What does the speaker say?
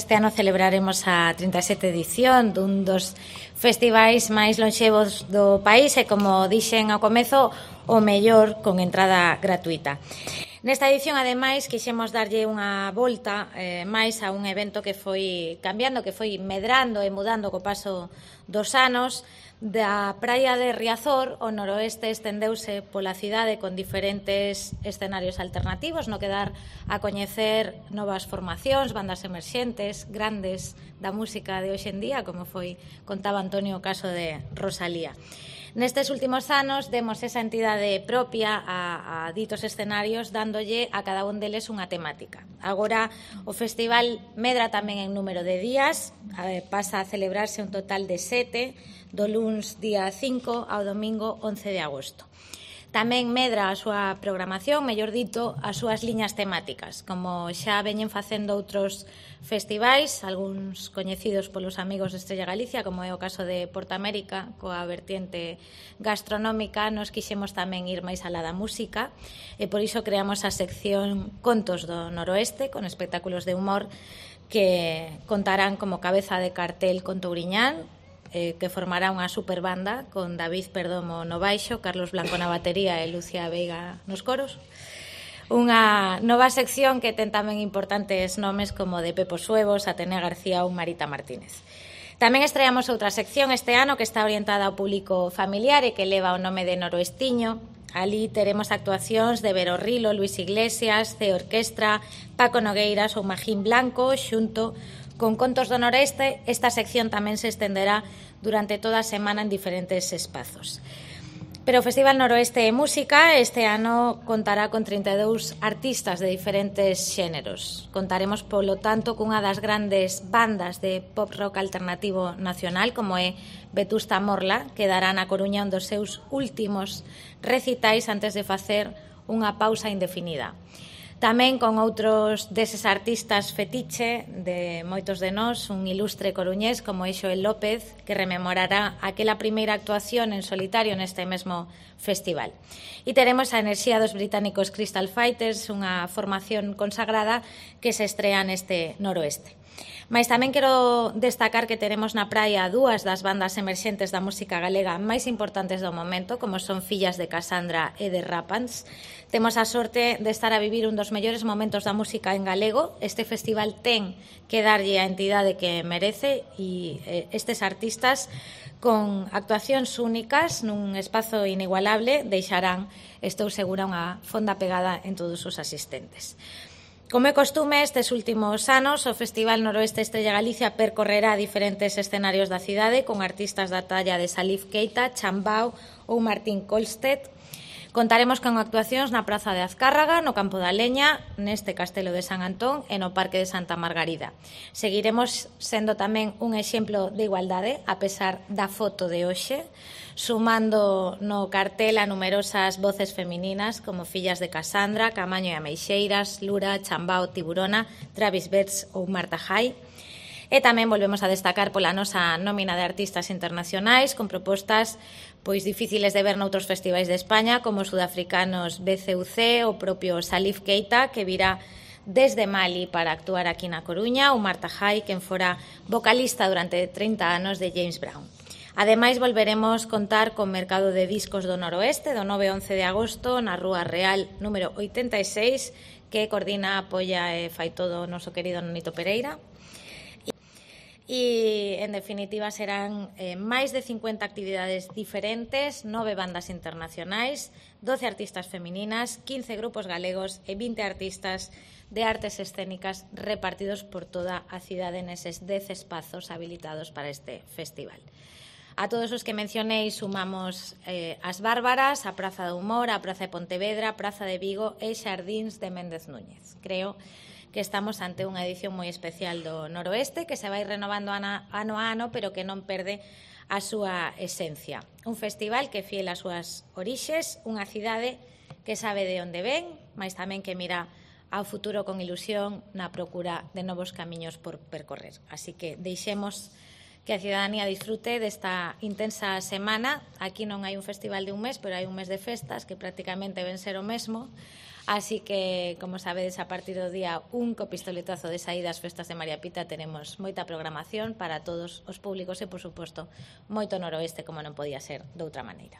Este ano celebraremos a 37ª edición dun dos festivais máis lonxevos do país e, como dixen ao comezo, o mellor con entrada gratuita. Nesta edición, ademais, quixemos darlle unha volta máis a un evento que foi cambiando, que foi medrando e mudando co paso dos anos. Da praia de Riazor, o noroeste estendeuse pola cidade con diferentes escenarios alternativos, no que dar a coñecer novas formacións, bandas emerxentes, grandes da música de hoxe en día, como contaba Antonio o caso de Rosalía. Nestes últimos anos demos esa entidade propia a ditos escenarios, dándolle a cada un deles unha temática. Agora o festival medra tamén en número de días, pasa a celebrarse un total de 7, do luns día 5 ao domingo 11 de agosto. Tamén medra a súa programación, mellor dito, as súas liñas temáticas, como xa veñen facendo outros festivais, algúns coñecidos polos amigos de Estrella Galicia, como é o caso de Portamérica, coa vertiente gastronómica. Nos quixemos tamén ir máis alá da música e por iso creamos a sección Contos do Noroeste, con espectáculos de humor que contarán como cabeza de cartel con Touriñán, que formará unha superbanda con David Perdomo no baixo, Carlos Blanco na batería e Lucia Veiga nos coros. Unha nova sección que ten tamén importantes nomes como de Pepo Suevos, Atenea García ou Marita Martínez. Tamén estreamos outra sección este ano que está orientada ao público familiar e que leva o nome de Noroestiño. Ali teremos actuacións de Vero Rilo, Luis Iglesias, C Orquestra, Paco Nogueiras ou Magín Blanco, xunto con Contos do Noreste. Esta sección tamén se estenderá durante toda a semana en diferentes espazos. Pero o Festival Noroeste de Música este ano contará con 32 artistas de diferentes xéneros. Contaremos, polo tanto, cunha das grandes bandas de pop rock alternativo nacional, como é Vetusta Morla, que dará na Coruña un dos seus últimos recitais antes de facer unha pausa indefinida. Tamén con outros deses artistas fetiche de moitos de nós, un ilustre coruñés como é Xoel López, que rememorará aquela primeira actuación en solitario neste mesmo festival. E teremos a enerxía dos británicos Crystal Fighters, unha formación consagrada que se estrea neste noroeste. Mais tamén quero destacar que teremos na praia dúas das bandas emerxentes da música galega máis importantes do momento, como son Fillas de Casandra e de Rapans. Temos a sorte de estar a vivir un dos mellores momentos da música en galego. Este festival ten que darlle a entidade que merece e estes artistas, con actuacións únicas nun espazo inigualable, deixarán, estou segura, unha fonda pegada en todos os asistentes. Como é costume, estes últimos anos, o Festival Noroeste Estrella Galicia percorrerá diferentes escenarios da cidade con artistas da talla de Salif Keita, Chambao ou Martín Kolstedt. Contaremos con actuacións na Praza de Azcárraga, no Campo da Leña, neste Castelo de San Antón e no Parque de Santa Margarida. Seguiremos sendo tamén un exemplo de igualdade, a pesar da foto de hoxe, sumando no cartel a numerosas voces femininas como Fillas de Casandra, Camaño e Ameixeiras, Lura, Chambao, Tiburona, Travis Betts ou Marta Jai. E tamén volvemos a destacar pola nosa nómina de artistas internacionais con propostas difíciles de ver noutros festivais de España, como os sudafricanos BCUC, o propio Salif Keita, que virá desde Mali para actuar aquí na Coruña, ou Marta Jai, quen fora vocalista durante 30 anos de James Brown. Ademais, volveremos contar con Mercado de Discos do Noroeste do 9 e 11 de agosto na Rúa Real número 86, que coordina, apoia e fai todo o noso querido Nonito Pereira. E, en definitiva, serán máis de 50 actividades diferentes, 9 bandas internacionais, 12 artistas femininas, 15 grupos galegos e 20 artistas de artes escénicas repartidos por toda a cidade neses 10 espazos habilitados para este festival. A todos os que mencionei sumamos as Bárbaras, a Praza do Humor, a Praza de Pontevedra, a Praza de Vigo e Xardíns de Méndez Núñez. Creo que estamos ante unha edición moi especial do Noroeste, que se vai renovando ano a ano, pero que non perde a súa esencia. Un festival que, fiel ás súas orixes, unha cidade que sabe de onde ven, mas tamén que mira ao futuro con ilusión na procura de novos camiños por percorrer. Así que deixemos que a cidadanía disfrute desta intensa semana. Aquí non hai un festival de un mes, pero hai un mes de festas que prácticamente ven ser o mesmo. Así que, como sabedes, a partir do día 1 co pistoletazo de saída ás festas de María Pita teremos moita programación para todos os públicos e, por suposto, moito noroeste, como non podía ser de outra maneira.